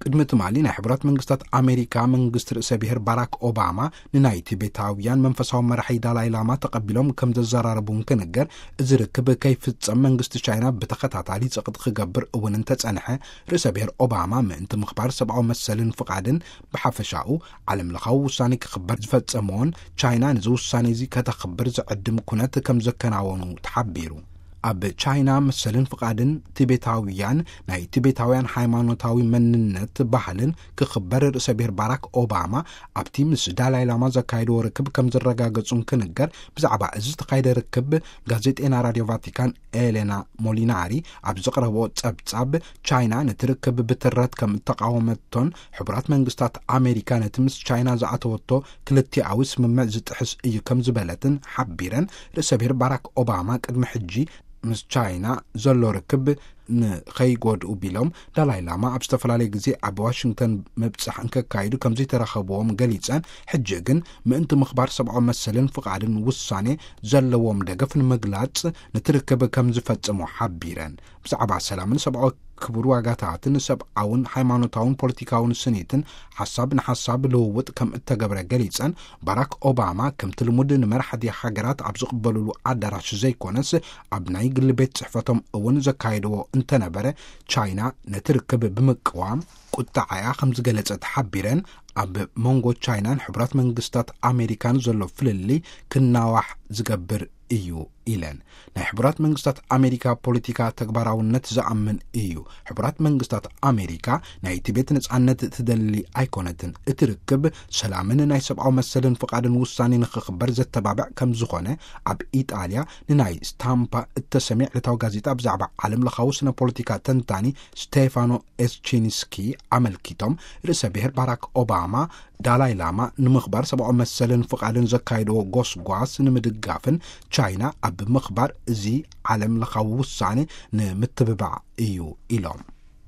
ቅድሚ ትማሊ ናይ ሕቡራት መንግስታት ኣሜሪካ መንግስቲ ርእሰ ብሔር ባራክ ኦባማ ንናይ ቲቤታውያን መንፈሳዊ መራሒ ዳላይ ላማ ተቐቢሎም ከም ዘዘራረቡ እንክንገር፣ እዚ ርክብ ከይፍጸም መንግስቲ ቻይና ብተኸታታሊ ጸቕጢ ክገብር እውን እንተጸንሐ፣ ርእሰ ብሔር ኦባማ ምእንቲ ምኽባር ሰብኣዊ መሰልን ፍቓድን ብሓፈሻኡ ዓለም ለኻዊ ውሳኔ ክኽበር ዝፈጸመዎን ቻይና ነዚ ውሳኔ እዚ ከተኽብር ዝዕድም ኩነት ከም ዘከናወኑ ተሓቢሩ። ኣብ ቻይና መሰልን ፍቓድን ቲቤታውያን፣ ናይ ቲቤታውያን ሃይማኖታዊ መንነት ባህልን ክኽበር ርእሰ ብሔር ባራክ ኦባማ ኣብቲ ምስ ዳላይ ላማ ዘካየድዎ ርክብ ከም ዝረጋገጹ እንክንገር፣ ብዛዕባ እዚ ዝተኻየደ ርክብ ጋዜጠና ራድዮ ቫቲካን ኤሌና ሞሊናሪ ኣብ ዘቕረቦ ጸብጻብ፣ ቻይና ነቲ ርክብ ብትረት ከም እተቓወመቶን ሕቡራት መንግስታት ኣሜሪካ ነቲ ምስ ቻይና ዝኣተወቶ ክልቲኣዊ ስምምዕ ዝጥሕስ እዩ ከም ዝበለትን ሓቢረን፣ ርእሰ ብሔር ባራክ ኦባማ ቅድሚ ሕጂ ምስ ቻይና ዘሎ ርክብ ንኸይጎድኡ ቢሎም ዳላይ ላማ ኣብ ዝተፈላለየ ግዜ ኣብ ዋሽንግተን ምብጻሕ እንከካይዱ ከም ዘይተረኸብዎም ገሊጸን፣ ሕጂ ግን ምእንቲ ምኽባር ሰብኣዊ መሰልን ፍቓድን ውሳኔ ዘለዎም ደገፍ ንምግላጽ ንትርክብ ከም ዝፈጽሙ ሓቢረን። ብዛዕባ ሰላምን ሰብኣዊ ክቡር ዋጋታትን ሰብኣውን ሃይማኖታውን ፖለቲካውን ስኒትን ሓሳብ ንሓሳብ ልውውጥ ከም እተገብረ ገሊጸን፣ ባራክ ኦባማ ከምቲ ልሙድ ንመራሕቲ ሃገራት ኣብ ዝቕበሉሉ ኣዳራሽ ዘይኮነስ ኣብ ናይ ግሊ ቤት ጽሕፈቶም እውን ዘካየድዎ እንተነበረ፣ ቻይና ነቲ ርክብ ብምቅዋም ቁጣዓያ ከም ዝገለጸት ሓቢረን፣ ኣብ መንጎ ቻይናን ሕቡራት መንግስታት ኣሜሪካን ዘሎ ፍልልይ ክናዋሕ ዝገብር እዩ ኢለን። ናይ ሕቡራት መንግስታት ኣሜሪካ ፖለቲካ ተግባራውነት ዝኣምን እዩ። ሕቡራት መንግስታት ኣሜሪካ ናይ ቲቤት ነጻነት ትደሊ ኣይኮነትን። እቲ ርክብ ሰላምን ናይ ሰብኣዊ መሰልን ፍቓድን ውሳኔ ንኽኽበር ዘተባብዕ ከም ዝኾነ ኣብ ኢጣልያ ንናይ ስታምፓ እተሰምየ ዕለታዊ ጋዜጣ ብዛዕባ ዓለም ለኻዊ ስነ ፖለቲካ ተንታኒ ስቴፋኖ ኤስቺንስኪ ኣመልኪቶም፣ ርእሰ ብሔር ባራክ ኦባማ ዳላይ ላማ ንምኽባር ሰብኣዊ መሰልን ፍቓድን ዘካየድዎ ጎስጓስ ንምድጋፍን ቻይና ኣብ ምኽባር እዚ ዓለም ለኻዊ ውሳኔ ንምትብባዕ እዩ ኢሎም።